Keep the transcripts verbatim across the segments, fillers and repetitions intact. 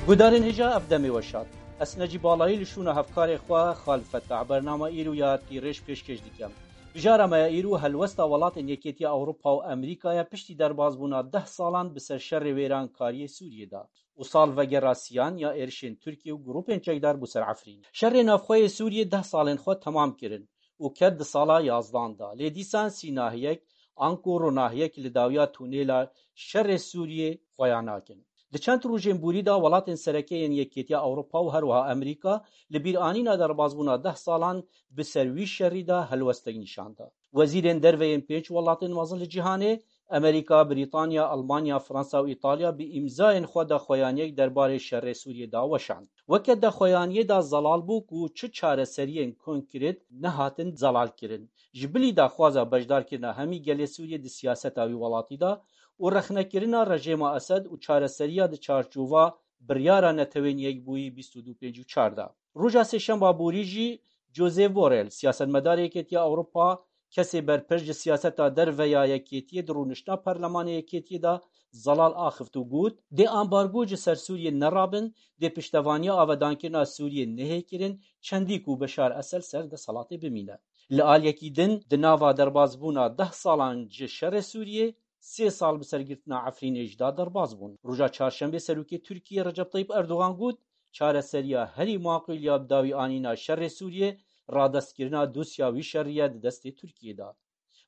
Guhdarên hêja, ev demê we şad. Ez Necî Balayî li şûna hevkarê xwe Xalid Fettah bernama îro ya Tîrêj pêşkêş dikim. Bijara me ya îro helwesta welatên Yekêtiya Ewropa û Amerîkaya piştî derbasbûna deh salan bi ser şerê wêrankariyê Sûriyê de û sal vegera siyan ya êrişên Tirkiye û grûpên çekdar bû ser Efrîn. Şerê navxwe yê Sûriyê deh salên xwe temam kirin û ket di sala yazdan de. Lê dîsan sînahiyek anku ronahiyek li dawiya tunêla şerê Sûriyê xweya nakin. Di çend rojên borî de welatên sereke yên Yekêtiya Ewropa û herwiha Amerîka li bîranîna derbasbûna deh salan bi ser wî şerî de helwestek nîşan da. Wezîrên derve yên pênc welatên mezin li cîhanê, Amerîka, Brîtanya, Almanya, Fransa û Îtalya, bi îmzayên xwe daxuyaniyek derbarê şerê Sûriyê daweşand. Weke daxuyaniyê de zelal bû ku çi çareseriyên konkret nehatin zelalkirin. Ji bilî daxwaza beşdarkirina hemî gelê Sûriyê di siyaseta wî welatî de û rexnekirina rejêma Esed û çareseriya di çarçova biryara Netewên Yekbûyî bîst û du pêncî û çar de. Roja Sêşemba borî jî Josep Borrell, siyasetmedarê Yekêtiya Ewropa, kesê berpirs ji siyaseta derve ya Yekêtiyê di rûniştina Perlemanê Yekêtiyê de zelal axift û got, dê ambargo ji ser Sûriyê nerabin, dê piştevaniya avedankirina Sûriyê nehê kirin, çendî ku Beşar Esed ser desthilatê bimîne. Li aliyekî din, di nava derbasbûna deh salan ji şerê Sûriyê, sê sal bi sergirtina Efrînê jî da derbas bûn. Roja Çarşembê Serokê Tirkiyê Recep Tayyip Erdogan got, çareseriya herî maqûl ya bi dawî anîna şerê Sûriyê, radestkirina dosya wî şerî ye di destê Tirkiyê de.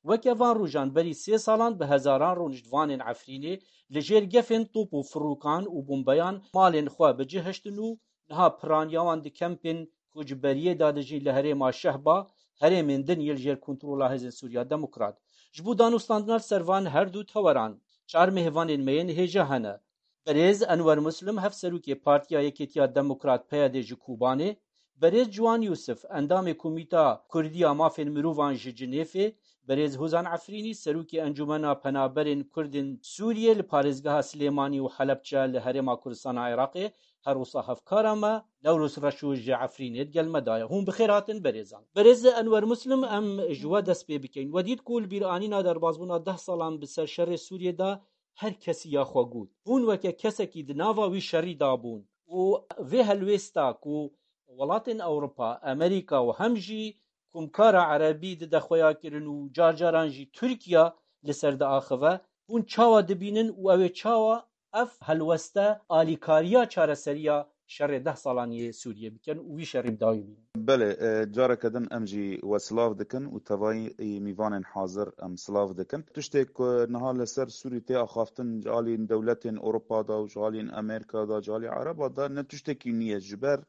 Weke van rojan berî sê salan bi hezaran rûniştvanên Efrînê li jêr gefên top û firûkan û bombeyan malên xwe bi cih hiştin û niha piraniya wan di kempên koçberiyê de dijîn li herêma Şehba, herêmên din yê li jêr kontrola Hêzên Sûriya Demokrat. Ji bo danûstandina li ser van her du teweran, çar mêvanên me yên hêja hene. Birêz Enwer Muslim, hevserokê Partiya Yekêtiya Demokrat, P Y D, ji Kobanê, Birêz Ciwan Yûsif, endamê Komîta Kurdî ya Mafên Mirovan ji Cinêfê, Birêz Hozan Efrînî, serokê Encûmena Penaberên Kurdên Sûriyê li parêzgeha Silêmanî û Helebçe li Herêma Kurdistana Iraqê, her wisa hevkara me Newroz Reşo ji Efrînê di gel me de ye. Hûn bi xêr hatin berêzan. Birêz Enwer Muslim, em ji we dest pê bikeyn. We dît ku li bîranîna derbasbûna deh salan bi ser şerê Sûriyê de her kesî ya xwe got. Hûn weke kesekî di nava wî şerî de bûn û vê helwêsta ku welatên Ewropa, Amerîka û hem jî komkara Erebî dide xweya kirin û car caran jî Tirkiye li ser diaxive, hûn çawa dibînin û ew ê çawa ev helweste alîkariya çareseriya şerê deh salan yê Sûriyê bikin û wî şerî bi dawî bînin? Belê, e, careke din em jî we silav dikin û tevayî mîvanên hazir em silav dikin. Tiştê ku niha li ser Sûrî tê axaftin ji alî dewletên Ewropa de û ji alî Amerîka de, ji alî Ereba de ne tiştekî nû ye. Ji ber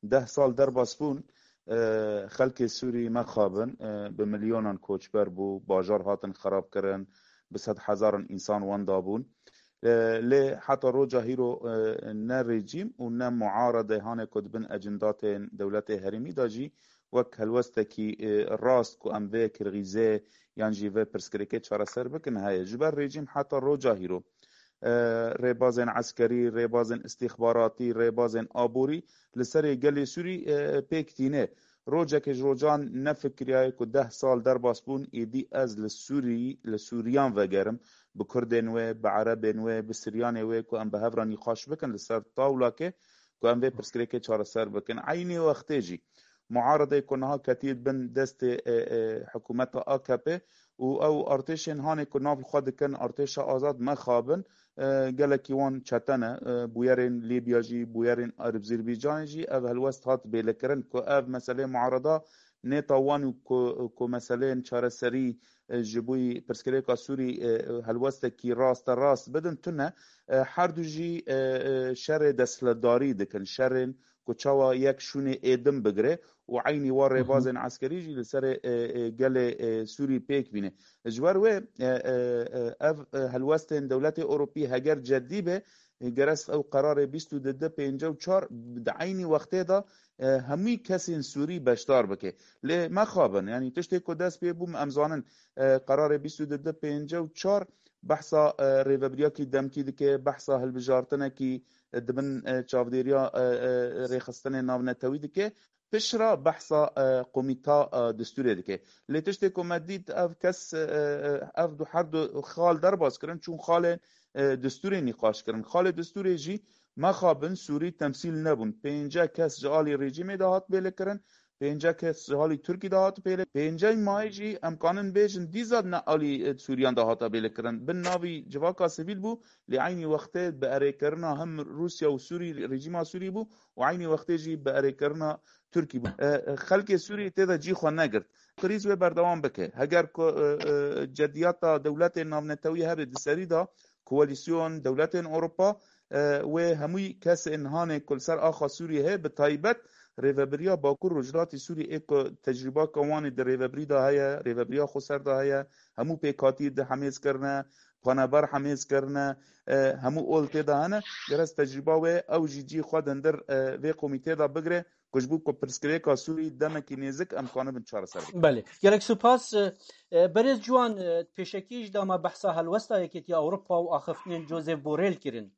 deh sal derbas bûn, e, xelkê Sûrî mexabin, e, bi milyonan koçber bû, bajar hatin xerabkirin, bi sed hezaran însan wenda bûn. E, lê heta roja hîro, e, ne rejîm û ne muarede hanê ku di bin ecindatên dewletê herêmî de jî wek helwestekî, e, rast ku em vê kirgîzê yan jî vê pirsgirêkê çareser bikin heye. Ji ber rejîm heta roja hîro, e, rêbazên eskerî, rêbazên îstîxbaratî, rêbazên aborî li serê gelê Sûrî, e, pêk tîne. Rojekê ji rojan nefikiriyaye ku deh sal derbas bûn, êdî ez li Sûrî, li Sûriyan vegerim, bi Kurdên wê, bi Erebên wê, bi Siryanê wê ku em bi hev re nîqaş bikin li ser tawlakê, ku em vê pirsgirêkê çareser bikin. Eynî wextê jî muaredê ku niha ketiye bin destê, e, e, hikûmeta A K P û ew artêşên hanê ku nav li xwe dikin artêşa azad mexabin, e, gelekî wan çete ne. E, bûyerên Lîbya jî, bûyerên Azerbaycanê jî ev helwest hat bêlekirin ku ev meselê muareda nêta wan û ku, ku meseleyên çareserî, e, ji bo pirsgirêka Sûrî, e, helwestekî raste rast bidin tune. E, her du jî, e, e, şerê desthilatdarî dikin, şerên ku çawa yek şûnê êdim bigire û eynî wa rêbazên eskerî jî li serê, e, e, gelê, e, Sûrî pêk bîne. Ji ber wê, e, e, e, ev, e, helwestên dewletê Ewropî heger cedî be, e, gerest ew qerarê bîst û du pêncî û çar di eynî wextê de, e, hemî kesên Sûrî beşdar bike. Lê mexabin, yanî tiştê ku dest pê bû, em zanin, e, qerarê bîst û du pêncî û çar behsa, e, rêvebiriyakî demkî dike, behsa hilbijartinekî, e, di bin, e, çavdêriya, e, e, rêxistinê navnetewî dike. Piştre behsa, e, komîta, e, distûrê dike. Lê tiştê ku me dît, ev kes, e, e, ev du, her du xal derbas kirin, çûn xalê, e, distûrê nîqaş kirin. Xalê distûrê jî Mexabin Sûrî temsîl nebûn. Pênce kes ji alî rejîmê de hat bêlekirin, pênce kes ji alî Tirkî de hat bêle. Pêncey mayî jî em kanin bêjin dîza ne alî, e, Sûriyan de hata bêlekirin. Bin navî civaka sivîl bû, lê eynî wextê bi erêkirina hem Rûsya û Sûrî, rejîma Sûrî bû û eynî wextê jî bi erêkirina Tirkî bû. E, e, xelkê Sûrî tê de cî xwe negirt. Krîz wê berdewam bike. Heger ku, e, e, cediyata dewletên navnetewî hebe di serî de, koalîsyon, dewletên Ewropa, e, wê hemû kesên hanê ku li ser axa Sûriyê heye, bi taybet rêvebiriya Bakur Rojhilatî Sûriyê ê ku tecrûbaka wan ê di rêvebirî de heye, rêvebiriya xweser de heye, hemû pêkhatî di hemêz kirine, paneber hemêz kirine, e, hemû ol tê de hene. Gerez tecrûba wê ew jî cî xwe di hundir, e, vê komîtê de bigire. Ku ji bo ku pirsgirêka Sûrî demekî nêzik em kanibin çareser bikin. Belê. Gelek spas. E, e, berêz Ciwan, e, pêşekî ji dema behsa helwesta Yekêtiya Ewropa û axiftinên Josep Borrell kirin.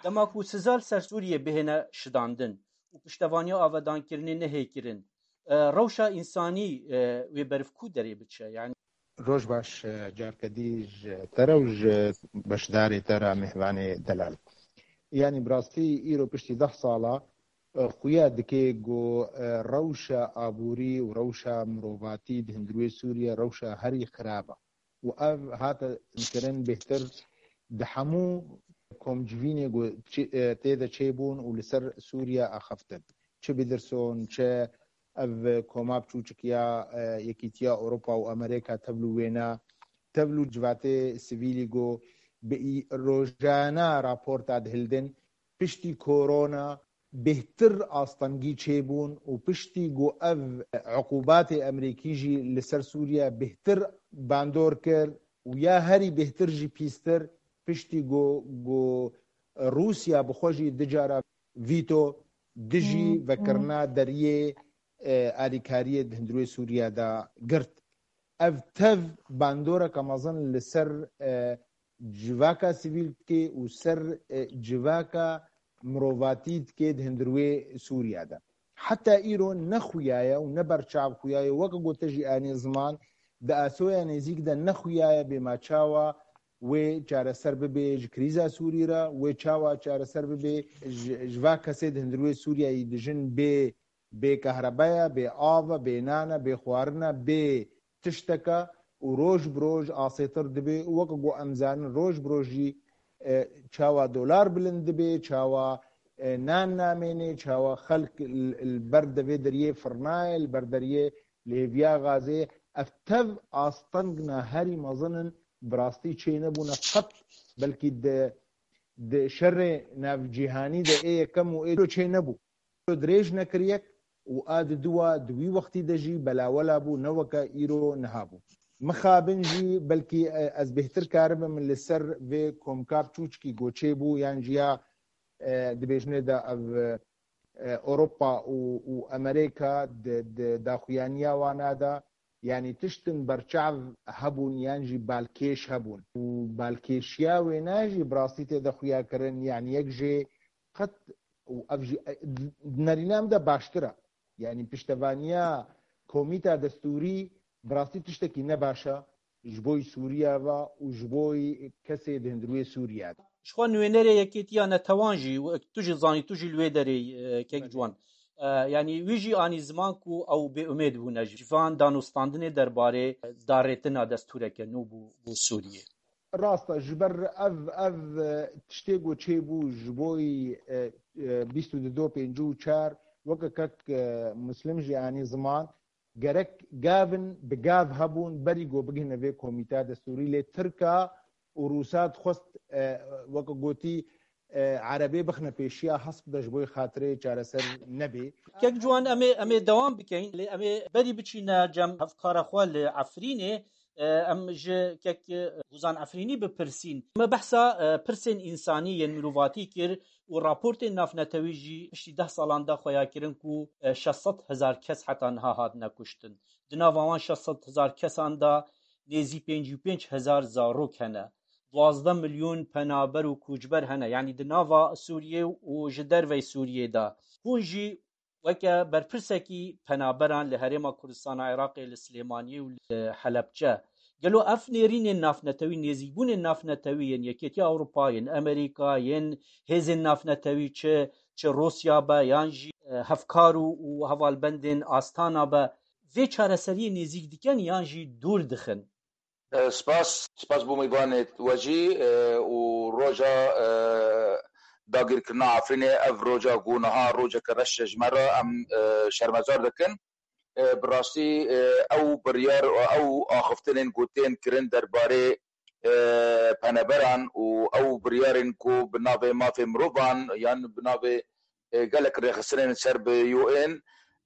Dema ku siza li ser Sûriyê bihêne şidandin û piştevaniya avedankirinê nehê kirin, e, rewşa însanî, e, wê beriv ku derê biçe? Yani Roj baş, e, carke dî ji te re û ji beşdarê te re, mêvanê delal. Yanî bi rastî îro piştî deh sala, e, xuya dike ku, e, rewşa aborî û rewşa mirovatî di hundirê Sûriye rewşa herî xirab e. Û ev hate kirin bêhtir di hemû komcivînê ku çi, e, tê de çêbûn û li ser Sûriye axiftin. Çi Biderson, çi ev koma biçûçik ya, e, Yekîtiya Ewropa û Amerîka tevlû wêne, tevlû civatê sivîlî ku bi î-, rojane raporta dihildin, piştî korona bêhtir astengî çêbûn û piştî ku ev uqubatê Amerîkî jî li ser Sûriye bêhtir bandor kir û ya herî bêhtir jî pîstir, piştî ku, ku Rûsya bi xwe jî du cara vîto dijî Hmm, hmm. vekirina deriyê, e, alîkariyê di hundirê Sûriye de girt. Ev tev bandoreke mezin li ser, e, civaka sivîl dike û ser, e, civaka mirovatî dike di hundirê Sûriye de. Heta îro ne xuyaye û ne berçav xuyaye, weke gote jî anî ziman, di asoya nêzîk de ne xuyaye bê ma çawa wê çareser bibe ji krîza Sûrî re, wê çawa çareser bibe ji, ji va kesê di hundirê Sûriyeyê dijin bê, bê kahrebeya, bê ava, bê nana, bê xwarina, bê tişteka û roj bi roj asêtir dibe û weke ku em zanin roj bi roj jî, e, çawa dolar bilind dibe, çawa, e, nan namêne, çawa xelk li, li ber devê deriyê firnayê, li ber deriyê lêviya gazê, ev tev astengna herî mezin in, bi rastî çênebûne qet, belkî di, di şerê navcîhanî de ê yekem û ê çênebû. Dirêj nekiriyek û a di dua di wî wextî de jî belawela bû, ne weke îro niha bû. Mixabin jî belkî, e, ez bêhtir karibim li ser vê komka biçûçikî ku çêbû yan jî ya, e, dibêjinê de ev, e, Ewropa û, û Amerîka di, di daxuyaniya wana de, yanî tiştin berçav hebûn yan jî balkêş hebûn. Û balkêşiya wêne jî bi rastî tê de xuya kirin, yanî yek jê qet û ev jî, e, di nerîna min de baştir e. Yanî piştevaniya komîta destûrî bi rastî tiştekî ne baş e ji bo Sûriya ve û ji bo kesê di hundirê Sûriya de. Ji xwe nûnerê Yekêtiya Netewan jî, wek tu jî zanî, tu jî li wê derê, e, kek Belê. Ciwan. E, yanî wî jî anî ziman ku ew bêumêd bûne ji van danûstandinê derbarê darêtina destûreke nû bû, bû Sûriyê. Rast e, ji ber ev, ev, e, tiştê ku çêbû ji bo, e, e, bîst û du pêncî û çar, weke kek, e, Muslim jî anî ziman, gerek gavin bi gav hebûn berî ku bigihine vê komîta destûrî, lê Tirka û Rûsa dixwest, e, weke gotî, e, Erebê bixine pêşiya hesp de ji bo xatirê çareser nebê. Kek Ciwan, em ê, em ê dewam bikeyn, lê em ê berî biçîne cem hevkara xwe li Efrînê, e, em ji kek, e, Hûzan Efrînî bipirsîn. Me behsa, e, pirsên însanî yên mirovatî kir û raportên navnetewî jî piştî deh salan de xweya kirin ku, e, şeş sed hezar kes heta niha hatine kuştin. Di nava wan şeş sed hezar kesan de nêzî pêncî û pênc hezar zarok hene. Duwazdeh milyon penaber û koçber hene. Yanî di nava Sûriyê û ji dervey Sûriyê de. Hûn jî weke berpirsekî penaberan li Herêma Kurdistana Iraqê, li Silêmaniyê û li Helebce Gelo ev nêrînên navnetewî, nêzîkbûnên navnetewî yên Yekêtiya Ewropa, yên Amerîka, yên hêzên navnetewî, çi, çi Rûsya be yan jî, e, hevkar û, û hevalbendên Astana be, vê çareseriyê nêzîk dikin yan jî dûr dixin? E, spas, spas bo mêvanê we jî, e, û roja, e, dagirkirina Efrînê, ev roja ku niha rojeke reş e ji me re, em, e, şermezar dikin. E, bi rastî, e, ew biryar, ew axiftinên ku tên kirin derbarê, e, peneberan û ew biryarên ku bi navê mafê mirovan yan bi navê, e, gelek rêxistinên ser bi U N,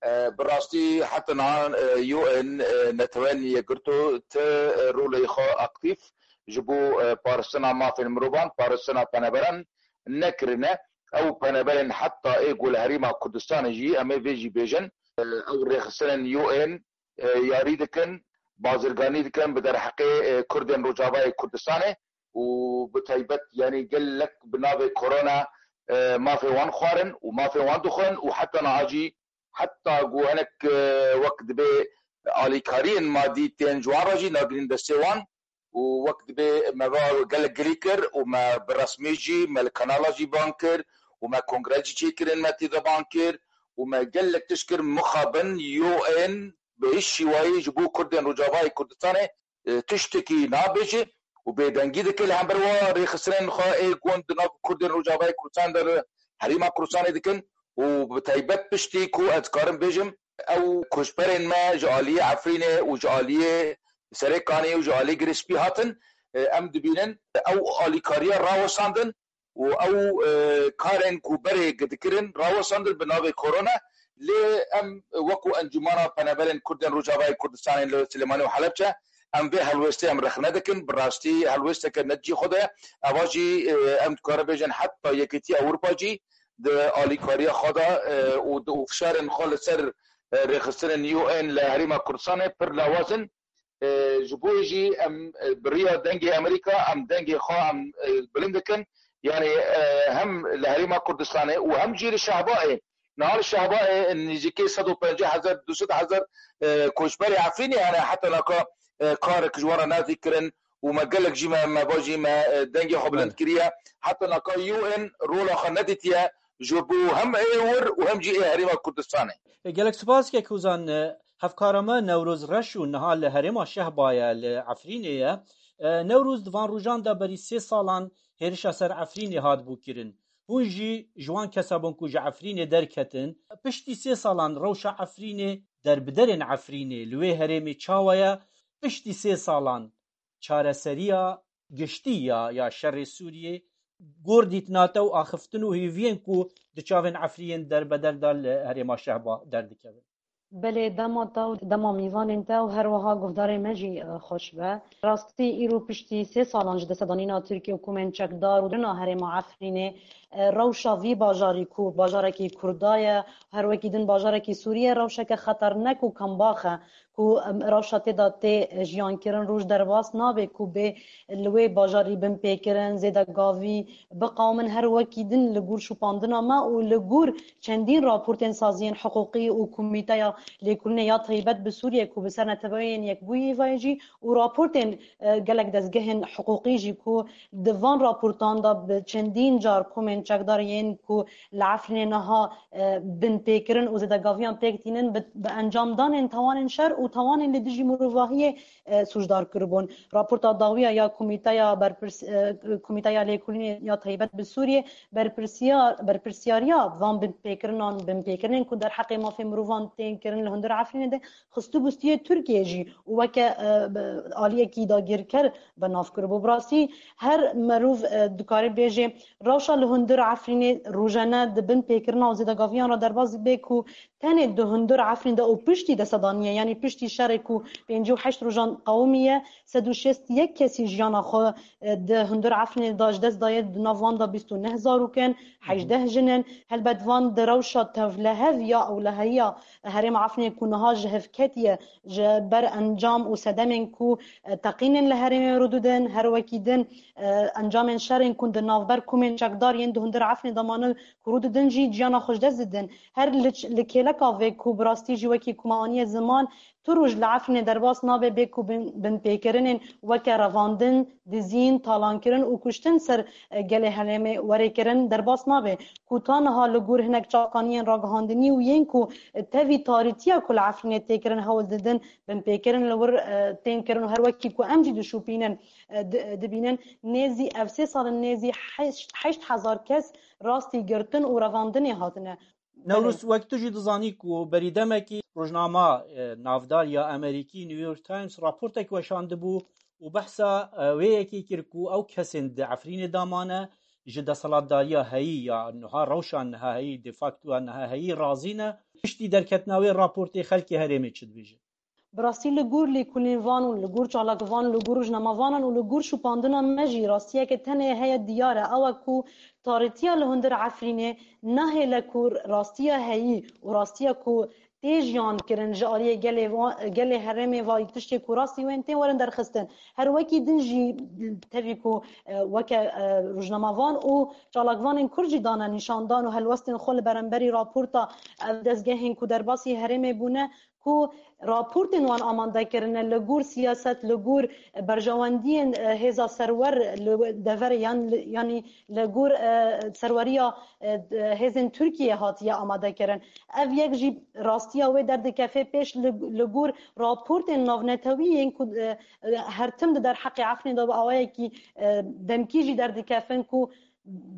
e, bi rastî heta niha, e, U N, e, Netewên Yekgirto ti, e, rolê xwe aktîf ji bo, e, parastina mafên mirovan, parastina peneberan nekirine. Ew peneberên heta ê ku li Herêma Kurdistanê jî, em ê vê jî bêjin, e, ew rêxistinên U N, e, yarî dikin, bazirganî dikin bi derheqê, e, Kurdên Rojavayê Kurdistanê û bi taybet, yanî gelek bi navê korona, e, mafê wan xwarin û mafê wan dixwin û heta niha jî, heta ku hinek, e, wek dibê alîkariyên madî tên ji wan re jî nagirîn destê wan û wek dibê me va gelek girî kir û me bi resmî jî me li kanala jî bang kir û me kongre jî çêkirin, me tê de bang kir û me gelek tişt kir mixabin U N bi hiç şîwayî ji bo Kurdên Rojavayê Kurdistanê, e, tiştekî nabêje û bêdengî dike li hember wa rêxistinên xwe ê ku di nav Kurdên Rojavayê Kurdistan de li Herêma Kurdistanê dikin û bi taybet piştî ku ez dikarim bêjim, ew koçberên me ji aliyê Efrînê û ji aliyê Serê Kanê û ji aliyê Girê Spî hatin, e, em dibînin ew alîkariya rawestandin û ew, e, karên ku berê dikirin rawestandin bi navê korona. Lê em wekû Encûmena Peneberên Kurdên Rojavayê Kurdistanê li Silêmanî û Helebçe, em vê helwêstê em rexne dikin. Bi rastî helwêsteke ne cî xwe de. Eva jî, e, em dikarin bêjin heta Yekîtiya Ewropa jî di alîkariya xwe de, e, û di, û fişarên xwe li ser, e, rêxistinên U N li Herêma Kurdistanê pir lawaz in. E, ji bo jî em, e, bi riya dengê Amerîka, em dengê xwe em, e, bilind dikin. Yanî, e, hem li Herêma Kurdistanê û hem jî li Şehbayê. Niha li Şehbayê nêzîkî sed û pêncî hezar, du sed hezar, e, koçberê Efrînê hene, heta naka, e, karek ji wan re nedî kirin û me gelek jî me, me va jî me, e, dengê xwe bilind Belê. kiriye. Heta naka U N rola xwe nedîtiye ji bo hem ê wir û hem jî ê Herêma Kurdistanê. E, gelek spas kek Hozan, e, hevkara me Newroz Reş û niha li herêma Şehba ye, li Efrînê ye. E, Newroz, di van rojan de berî sê salan hêrişa ser Efrînê hatibû kirin. Hûn jî ji wan kesa bûn ku ji Efrînê derketin. Piştî sê salan rewşa Efrînê, derbiderên Efrînê li wê herêmê çawa ye? Piştî sê salan çareseriya giştî ya, ya şerê Sûriyê, gor dîtina te û axiftin û hêviyên ku di çavên Efrînê derbeder de li herêma Şehba derdikevin? Belê, dema te û dema mîvanên te û her wiha guhdarên me jî, e, xweş be. Rastî, îro piştî sê salan ji destedanîna Tirkiye û komên çekdar û dirina herêma Efrînê, e, rewşa vî bajarî ku bajarekî Kurda ye, her wekî din bajarekî Sûrî ye, rewşeke xeternek û kembax e ku, em, rewşa tê de tê jiyankirin roj derbas nabe ku bê li wê bajarî bin pêkirin, zêde gavî biqewimin, her wekî din li gor şopandina me û li gor çendîn raportên saziyên hiqûqî û Komîteya Lêkolînê ya Taybet bi Sûriyê ku bi ser Neteweyên Yekbûyî ve jî û raportên, e, gelek dezgehên hiqûqî jî ku di van raportan de bi çendîn car komên çekdar yên ku li Efrînê niha, e, bin pêkirin û zêdegaviyan pêk tînin bi, bi encamdanên tawanên şer û tawanên li dijî mirovahiyê, e, sûcdar kiribûn. Raporta dawiya ya Komîteya Berpirs-, e, Komîteya Lêkolînê ya Taybet bi Sûriyê berpirsiyar, berpirsiyariya van binpêkirinan, binpêkirinên ku derheqê mafê mirovan tên kirin li hundir Efrînê de xistibû stûyê Tirkiyê jî û weke, e, bi, aliyekî dagirker bi nav kiribû. Bi rastî her merov, e, dikare bêje rewşa li hundir Efrînê rojane di bin pêkirina û zêdegaviyan re derbas bê ku tenê di hundir Efrîn de û piştî destedaniyê, yanî piştî şerê ku pêncî û heşt rojan qewimiye, sed û şêst yek kesî jiyana xwe, e, di hundir Efrînê de ji dest daye, di nav wan de bîst û neh zarok in, hejdeh jin in. Helbet van di rewşa tevlihev ya ewleheya herêma Efrînê ku niha ji hev ketiye, ji ber encam û sedemên ku, e, teqînin li herêmê rû didin, her wekî din, e, encamên şerên ku di navber komên çekdar yên di hundir Efrînê de mane ku rû didin jî ciyana xwe ji dest didin. Her li ç-, li kêleka vê ku bi rastî jî wekî ku me aniye ziman, tu roj li Efrînê derbas nabe bê ku bin, binpêkirinên weke revandin, dizîn, talankirin û kuştin ser, e, gelê herêmê were kirin derbas nabe. Ku ta niha li gor hinek çavkaniyên ragihandinî û yên ku, e, tevî tarîtiya ku li Efrînê tê kirin hewl didin, binpêkirin li wir, e, tên kirin û her wekî ku em jî dişopînin, e, di-, dibînin, nêzî ev sê salin nêzî heşt, heşt hezar kes rastî girtin û revandinê hatine. Newroz, wek tu jî dizanî ku berî demekî rojnama, e, navdar ya Amerîkî New York Times raportek weşandibû û behsa, e, wê yekê kir ku ew kesên di Efrînê de mane ji desthilatdariya heyî ya niha, rewşa niha heyî, de facto ya niha heyî razî ne. Piştî derketina wê raportê xelkê herêmê çi dibêjin? Bi rastî li gor lêkolînvan û li gor çalakvan, li gor rojnamavanan û li gor şopandina me jî rastiyeke tenê heye diyar e, ew e ku tarîtiya li hundir Efrînê nahêle ku rastiya heyî û rastiya ku tê jiyan kirin ji aliyê gelê va-, gelê herêmê vayî tiştê ku rastî wên tên werin derxistin. Her wekî din jî tevî ku, e, weke, e, rojnamavan û çalakvanên Kurd jî dane nîşandan û helwestên xwe li beramberî raporta ev dezgehên ku derbasî herêmê bûne, ku raportên wan amade kirine li gor siyaset, li gor berjewendiyên, e, hêza serwer li deverê yan li, yanî li gor, e, serweriya, e, hêzên Tirkiyê hatiye amade kirin. Ev yek jî rastiya wê derdikeve pêş li, li gor raportên navnetewî yên ku, e, e, her tim di derheqê Efrînê de bi awayekî, e, demkî jî derdikevin ku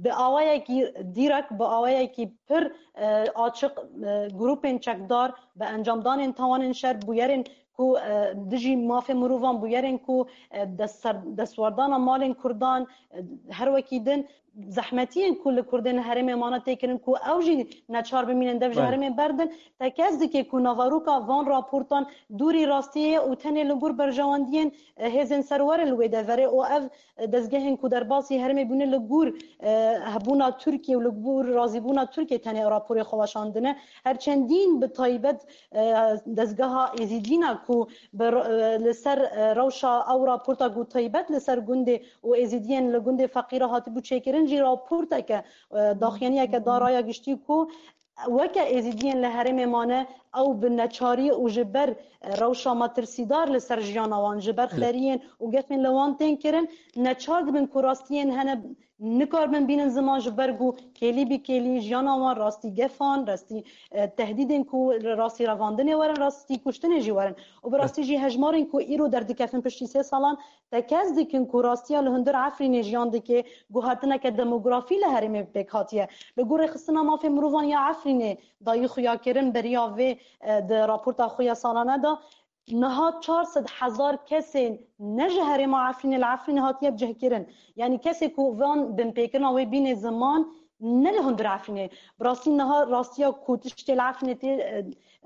bi awayekî dîrek, bi awayekî pir, e, açiq, e, grûpên çekdar bi encamdanên tawanên şer, bûyerên ku, e, dijî mafê mirovan, bûyerên ku, e, destser-, destwerdana malên Kurdan, e, her wekî din zehmetiyên ku li Kurdên herêmê mane tê kirin ku ew jî neçar bimînin dev ji Belê. herêmê berdin, tekez dike ku navaroka van raportan dûrî rastiyê ye û tenê li gor berjewendiyên, e, hêzên serwerê li wê deverê û ev dezgehên ku derbasî herêmê bûne li gor, e, hebûna Tirkiye û li gor razîbûna Tirkiye tenê raporê xwe weşandine. Her çendîn bi taybet, e, dezgeha Êzîdîna ku bi r-, e, li ser, e, rewşa ew raporta ku taybet li ser gundê û Êzîdiyên li gundê feqîra hatibû çêkirin jî raporteke, e, daxuyaniyeke da raya giştî ku weke Êzîdiyên li herêmê mane, ew bi neçarî û ji ber, e, rewşa metirsîdar li ser jiyana wan, ji ber Belê. xeriyên û gefên li wan tên kirin, neçar dibin ku rastiyên hene nikaribin bînin ziman, ji ber ku kêlî bi kêlî jiyana wan rastî gefan, rastî, e, tehdîdên ku rastî revandinê werin, rastî kuştinê jî werin. Û bi rastî jî hejmarên ku îro derdikevin piştî sê salan, tekez dikin ku rastiya li hundir Efrînê jiyan dike, guhertineke demografî li herêmê pêk hatiye. Li gor Rêxistina Mafê Mirovan ya Efrînê dayî xuyakirin beriya vê, e, di raporta xwe ya salane de, niha çar sed hezar kesên ne ji herêma Efrînê li Efrînê hatiye bicihkirin. Yanî kesê ku van binpêkirina wê bîne ziman, ne li hundir Efrînê. Bi rastî niha rastiya ku tiştê li Efrînê tê,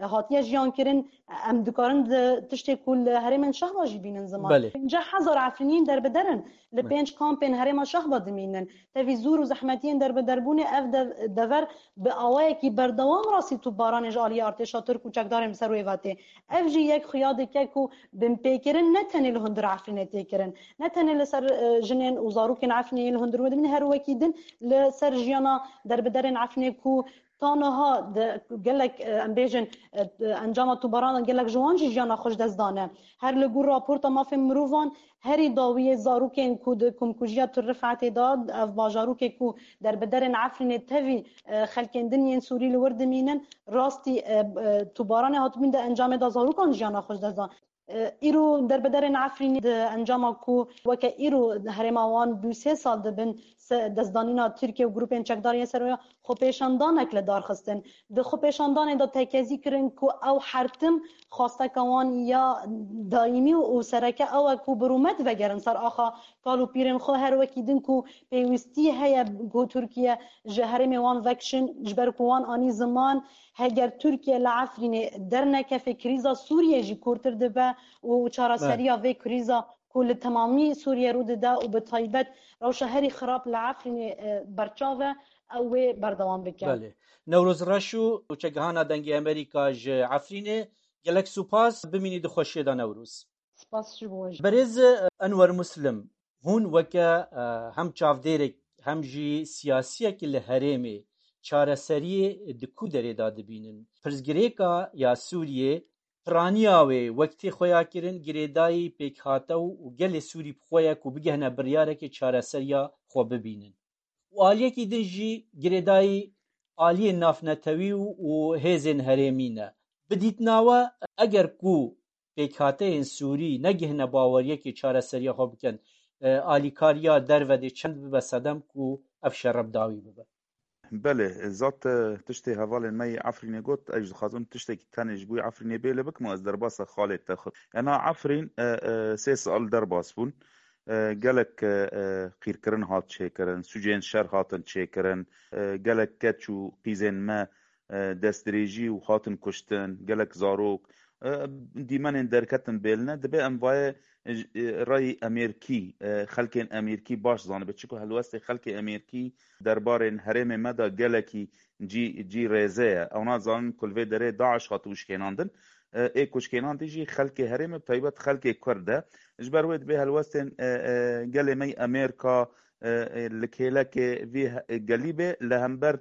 e, hatiye jiyan kirin, em dikarin di tiştê ku li herêmên Şehba jî bînin ziman. Belê. Pêncî hezar Efrînî derbeder in. Li Belê. pênc kampên herêma Şehba dimînin. Tevî zor û zehmetiyên derbederbûnê ev dev-, dever bi awayekî berdewam rastî topbaranê ji aliyê artêşa Tirk û çekdarên bi ser wê ve tê. Ev jî yek xuya dike ku binpêkirin ne tenê li hundir Efrînê tê kirin. Ne tenê li ser, e, jinên û zarokên Efrînê yên li hundir wê dimînin, her wekî din li ser jiyana derbiderên Efrînê ku ta niha di gelek, e, em bêjin, e, encama topbarana gelek ji wan jî jiyana xwe ji dest dane. Her li gor raporta mafên mirovan, herî dawiyê zarokên ku di komkujiya Til Rifetê de, ev bajarokê ku derbiderên Efrînê tevî, e, xelkên din yên Sûrî li wir dimînin, rastî, e, e, topbaranê hatibûn di encamê de zarokan jiyana xwe ji dest dan. E, îro derbiderên Efrînê di encama ku weke îro herêma wan du sê sal dibin se-, destdanîna Tirkiye û grûpên çekdar yên serweriya xwepêşandanek li dar xistin. Di xwepêşandanê de tekezî kirin ku ew her tim xwasteka wan ya daîmî û sereke ew e ku bi rûmet vegerin ser axa kal û pîrên xwe, her wekî din ku pêwîstî heye ku Tirkiye ji herêmê wan vekişin, ji ber ku wan anî ziman, heger Tirkiye li Efrînê dernekeve, krîza Sûriyê jî kûrtir dibe û çareseriya vê krîza ku li temamî Sûriyê rû dide û bi taybet rewşa herî xirab li Efrînê, e, berçav e, ew wê berdewam bike. Belê. Newroz Reşo, nûçegihana Dengê Amerîka ji Efrînê, gelek spas, bimînî di xweşiyê de Newroz. Spas ji bo we jî. Berêz Enwer Muslim, hûn weke, e, hem çavdêrek hem jî siyasiyek li herêmê çareseriyê di ku derê de dibînin? Pirsgirêka ya Sûriyê piraniya wê wek tê xweya kirin girêdayî pêkhate û, û gelê Sûrî bi xwe ye ku bigihne biryarekê çareseriya xwe bibînin. Û aliyekî din jî girêdayî aliyên navnetewî û, û hêzên herêmî ne. Bi dîtina we, eger ku pêkhateyên Sûrî negihne baweriyekê çareseriya xwe bikin, e, alîkariya derve dê çend bibe sedem ku ev şere bi dawî bibe? Belê, zat, e, tiştê hevalên me yê Efrînê got, ez dixwazim tiştekî tenê ji bo Efrînê bêle bikim û ez derbasa xalê te xwe. Ena Efrîn, e, e, sê sal derbas bûn. E, gelek, e, e, qîrkirin hat çêkirin, sûcên şer hatin çêkirin, e, gelek keç û qîzên me, e, destdirêjî û hatin kuştin, gelek zarok, e, dîmenên derketin bêline. Dibe em vaye, e, rayî Amerîkî, e, xelkên Amerîkî baş zanibe. Çiko helwestê xelkê Amerîkî derbarên herêmê me de gelekî cî, cî rêze ye. Ew nazanin ku li vê derê DAIŞ hatiye şikênandin. E, ê ku şikênandî jî xelkê herêmê, bi taybet xelkê Kurd e. Ji ber wê dibê helwestên, e, e, gelê me yê Amerîka, e, e, li kêlekê vî he-, gelî be, li hember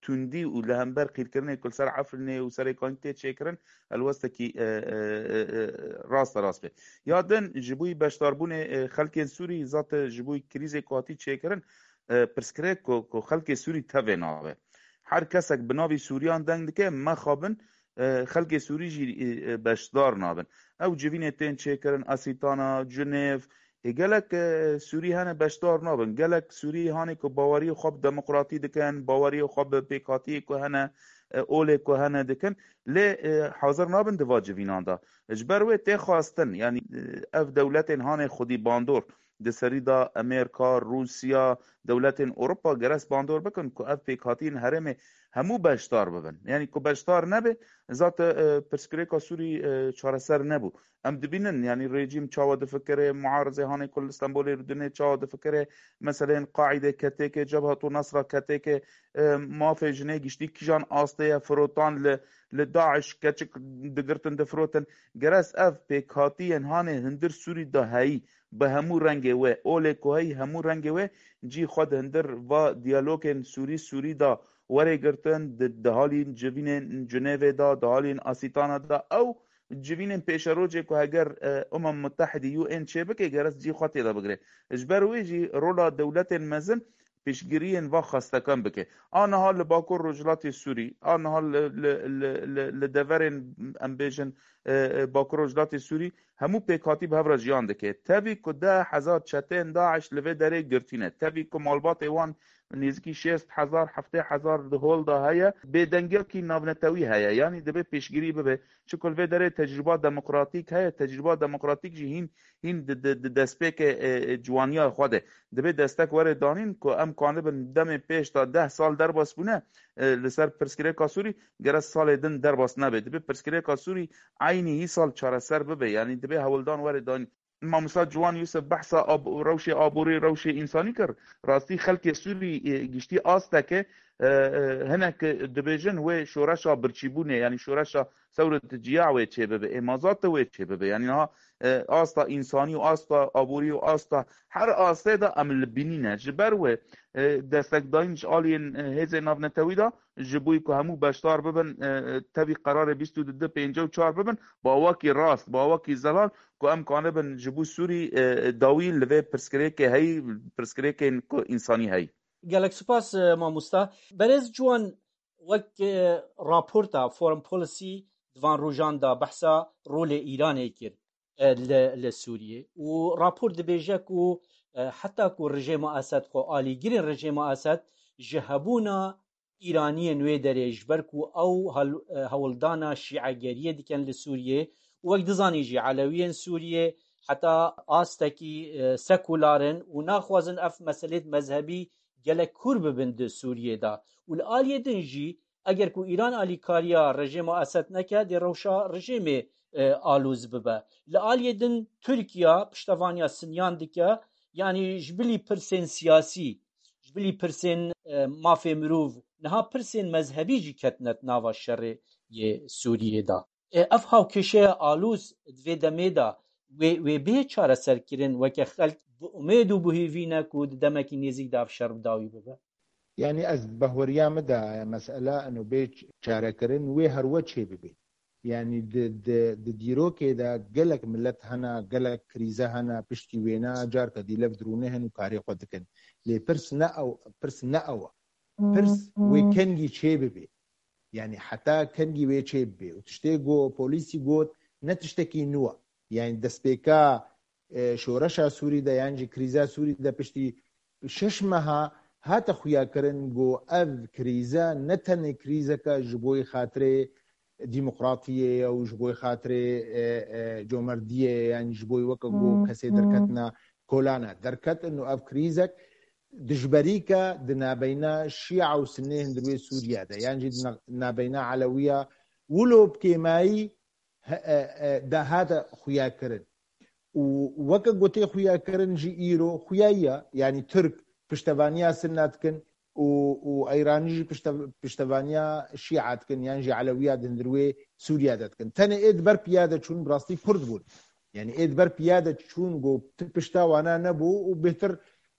tundî û li hember qîrkirinê ku li ser Efrînê û Serêkanî tê çêkirin, helwestekî, e, e, e, e, rasterast be. Ya din ji bo beşdarbûnê, e, xelkên Sûrî, zate ji bo krîzê ku hatî çêkirin, e, pirsgirêk ku, ku xelkê Sûrî tevê nabe. Her kesek bi navî Sûriyan deng dike, mexabin, e, xelkê Sûrî jî, e, e, beşdar nabin. Ew civînê tên çêkirin, Asîtana, Cinêv, ê gelek, e, Sûrî hene beşdar nabin. Gelek Sûrî hanê ku baweriyê xwe bi demokratî dikin, baweriyê xwe bi pêkhatiyê ku hene, e, olê ku hene dikin. Lê, e, hazir nabin di va civînan de. Ji ber wê tê xwestin, yanî, e, ev dewletên hanê xwedî bandor, di serî de Amerîka, Rûsya, dewletên Ewropa gerek bandor bikin ku ev pêkhatiyên herêmê hemû beşdar bibin. Yanî ku beşdar nebe, zate, e, pirsgirêka Sûrî, e, çareser nebû. Em dibînin, yanî rejîm çawa difikire, muarizê hanê ku li Stenbolê rûdinê çawa difikire, meseleyên Qaîde ketêke, Cebhetu Nesra ketêke, e, mafê jinê giştî kîjan astê ye, firotan li, li DAIŞ keçik digirtin difirotin. Gerek ev pêkhatiyên hanê hundir Sûrî de heyî, bi hemû rengê wê, olê ku heyî hemû rengê wê, cî xwe di hundir va diyalogên Sûrî, Sûrî de were girtin, di, di halî civînên Cinêvê de, di halî Asîtana de, ew civînên pêşerojê ku heger, e, Umem Mutehidî, U N çêbike, gerek cî xwe tê de bigire. Ji ber wê jî rola dewletên mezin piştgiriyên va xwestekan bike. A niha li Bakur Rojhilatê Sûrî, a niha li, li, li, li, li deverên, em bêjin, e, e, Bakur Rojhilatê Sûrî, hemû pêkhatî bi hev re jiyan dike. Tevî ku deh hezar çeteyên DAIŞ li vê derê girtî ne. Tevî ku malbatê wan nêzîkî şêst hezar, heftê hezar di hol de heye, bêdengiyekî navnetewî heye. Yanî divê pêşgirî bibe. Çiku li vê derê tecrûba demokratîk heye, tecrûba demokratîk jî hîn, hîn di, di, di destpêkê, e, e, ciwaniya xwe de. Divê destek were danîn ku em kanibin demê pêş de deh sal derbas bûne, e, li ser pirsgirêka Sûrî, gerek salê din derbas nebe. Divê pirsgirêka Sûrî eynî hî sal çareser bibe. Yanî divê hewldan were danîn. Mamosta Ciwan Yusuf behsa ab-, rewşê aborî, rewşê însanî kir. Rastî xelkê Sûrî, e, giştî asteke, e, e, hinek dibêjin wê şoreşa birçîbûnê, yanî şoreşa sewret ciya wê çêbibe, ê mazate wê çêbibe. Yanî niha, e, asta însanî û asta aborî û asta her astê de em li bînî ne. Ji ber wê, e, destekdayîn ji aliyên, e, hêzên navnetewî de ji bo ku hemû beşdar bibin, e, e, tevî qerarê bîst û du pêncî û çar bibin, bi awakî rast, bi awakî zelal, ku em kanibin ji bo Sûrî, e, dawî li vê pirsgirêkê heyî, pirsgirêkên ku însanî heyî. Gelek spas, e, mamosta. Berêz Ciwan, wek, e, raporta Foreign Policy di van rojan de behsa rolê Îranê kir, e, li, li Sûriyê. Û rapor dibêje ku, e, heta ku rejêma Esed xwe alîgirên rejêma Esed ji hebûna Îraniyên wê derê, ji ber ku ew hel-, e, hewldana şîegeriyê dikin li Sûriyê û wek dizanî jî Elewiyên Sûriyê heta astekî, e, sekular in û naxwazin ev meselêt mezhebî gelek kûr bibin di Sûriyê de. Û li aliyê din jî eger ku Îran alîkariya rejêma Esed neke, dê rewşa rejêmê, e, alûz bibe. Li aliyê din Tirkiye piştevaniya Sinyan dike, yanî ji bilî pirsên siyasî, ji bilî pirsên, e, mafê mirov, niha pirsên mezhebî jî ketine di nava şerê yê Sûriyê de. E, ev hawkêşeya alûz di vê demê de wê, wê bê çareserkirin, weke xelk bi umêd û bi hêvî ne ku di demekî nêzîk de ev şer bi dawî bibe? Yanî ez bi baweriya min de mesele ino bê çarekirin wê her we çê bibe. Yanî di, di, di dîrokê de gelek milet hene, gelek krîze hene, piştî wêne carka dî lev dirûne hin û karê xwe dikin. Lê pirs ne ew, pirs ne ew e. Pirs wê kengî çê bibe. Yanî heta kengî wê çê bibe. Û tiştê ku polîsî got, ne tiştekî nû e. Yanî destpêka, e, şoreşa Sûrî de yan jî krîza Sûrî de piştî şeş meha hate xuyakirin ku ev krîze ne tenê krîzeke ji bo xatirê demokratiyê ye û ji bo xatirê, e, e, comerdiyê ye, yan ji bo weke ku kesê derketina kolana derketin û ev krîzek dijberîke di nabeyna Şîa û Sinnê hundirwê Sûriye de, yan jî di na-, nabeyna Elewiya wilo bi kêmayî he-, e, e, de hate xuya kirin. Û weke gotê xuya kirin jî îro xuya ye, yanî Tirk piştevaniya Sinna dikin û, û Eyranî jî piştev-, piştevaniya Şîa dikin, yan jî Elewiya di hundirwê Sûriye de dikin. Tenê ê di ber piya de çûn, bi rastî Kurd bûn. Yanî ê di ber piya de çûn, got, tu pişta wana nebû û bêhtir,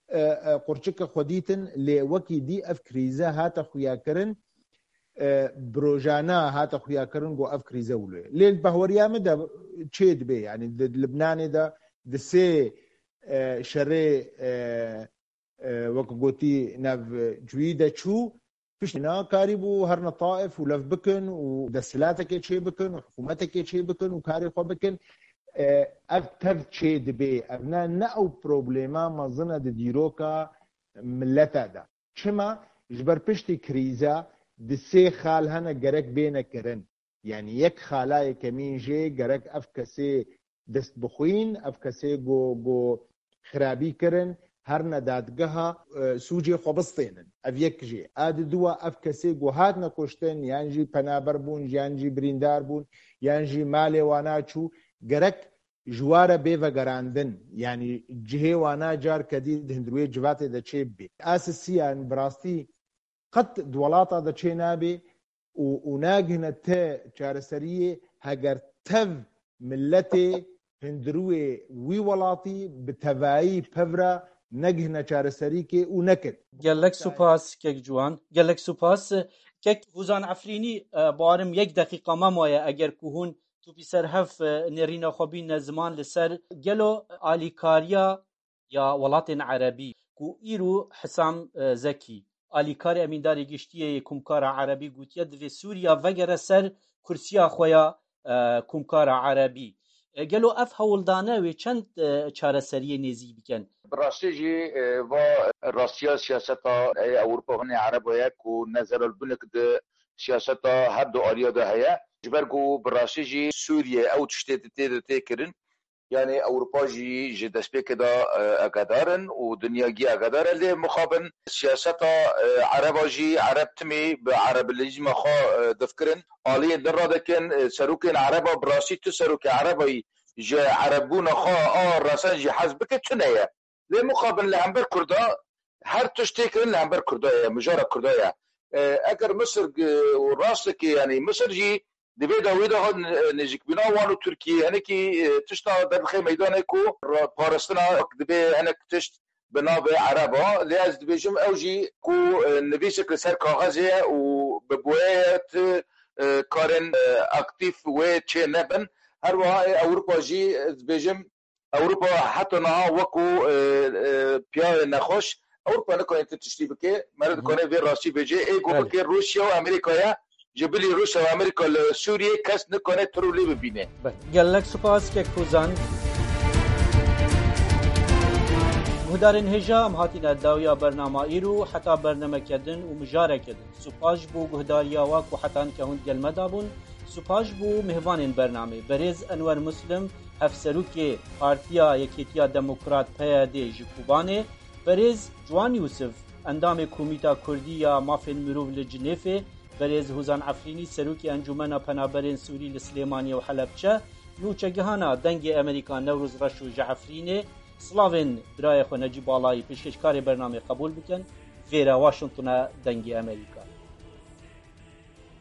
e, e, qurçike xwe dîtin, lê wekî dî ev krîze hate xuya kirin, e, bi rojana hate xuya kirin, got, ev krîze wilo ye. Lê li behweriya min de çê dibe, yanî di Libnanê de di sê, e, şerê, e, e, wek gotî, navcuyî de çû, piştî na karîbû herine Taif û lev bikin û desthilatekê çê bikin û hikûmetekê çê bikin û karê xwe bikin. E, ev tev çê dibe. Ev ne, ne ew problema mezin e di dîroka milete de. Çima? Ji ber piştî krîza di sê xal hene gerek bêne kirin. Yanî yek xala yekemîn jê gerek ev kesê dest bixwîn, ev kesê ku, ku xirabî kirin, herine dadgeha, e, sûcê xwe bistênin. Ev yek jê. A di dua ev kesê ku hatine kuştin, yan jî penaber bûn, yan jî birîndar bûn, yan jî malê wana çû, gerek ji wa re bê vegerandin. Yanî cihê wana carke dî di hundirwê civatê de çê bibê. A sisiyan bi rastî qet di welata de çê nabê û, û nagihine te çareseriyê heger tev miletê hundirwê wî welatî bi tevayî pevra negihine çareserîkê û nekin. Gelek supas, kek Ciwan. Gelek supas. Kek Huzan Efrînî, e, barim yek deqîqa me maye, eger ku hûn tûpî ser hev, e, nêrîna xwe bîne ziman li ser gelo alîkariya ya welatên erebî ku îro Hisam, e, Zekî, alîkarê emîndarê giştî yê Komkara Erebî, gotiye divê Sûriya vegere ser kursiya xwe ya, e, Komkara Erebî. E, gelo ev hewldane wê çend, e, çareseriyê nêzî bikin? Bi rastî jî, e, va rastiya siyaseta, e, Ewropa hûnê Ereba ye ku nezeral bunik di siyaseta her du aliya de heye. Ji ber ku bi rastî jî Sûriye ew tiştê di tê de tê kirin, yanî Ewropa jî ji destpêkê de, e, agedar in û dinya gî agedar e. Lê mixabin siyaseta, e, Ereba jî, Ereb timî bi erebilîzma xwe, e, difkirin. Aliyên din radikin, e, serokên Ereba, bi rastî tu serokê Erebayî ji Erebbûna xwe a resen jî hez bike, tune ye. Lê mixabin li hember Kurda her tişt tê kirin li hember Kurda ye, mijara Kurda ye. E, eger Misir, e, û rastekê, yanî Misir jî di vê dawî de hat, e, nêzîkbûna wan û Tirkiyê hinekî, e, tişta derdixe meydanê ku ra-, parastina dibe hinek tişt bi navê Ereba. Lê ez dibêjim ew jî ku, e, nivîsek li ser kaxezê ye û bi boyê ye, ti, e, karên, e, aktîf wê çê nebin. Her wiha, e, Ewropa jî, ez dibêjim, Ewropa heta niha wekû, e, e, piyayê nexweş, Ewropa nikane tu tiştî bike, meriv dikane vê rastî bêje, ê ku Belê. bike Rûsya û Amerîka ye, ji bilî Rûsya û Amerîka li Sûriyê kes nikane tir û lê bibîne. Belê. Gelek spas kek Huzan. Guhdarên hêja, em hatîne dawiya bernama îro, heta bernameke din û mijareke din. Supas ji bo guhdariya we ku heta nika hûn digel me de bûn. Supas ji bo mêvanên bernamê. Berêz Enwer Muslim, hevserokê Partiya Yekêtiya Demokrat, P Y D, ji Kobanê. Berêz Ciwan Yûsif, endamê Komîta Kurdî ya Mafên Mirov li Cinêfê. Berêz Hozan Efrînî, serokê Encûmena Penaberên Sûrî li Silêmaniyê û Helebçe. Nûçegihana Dengê Amerîka, Newroz Reşo ji Efrînê. Silavên birayê xwe Necîb Balayî, pêşkêşkarê bernamê, qebûl bikin. Vêre Washingtona Dengê Amerîka.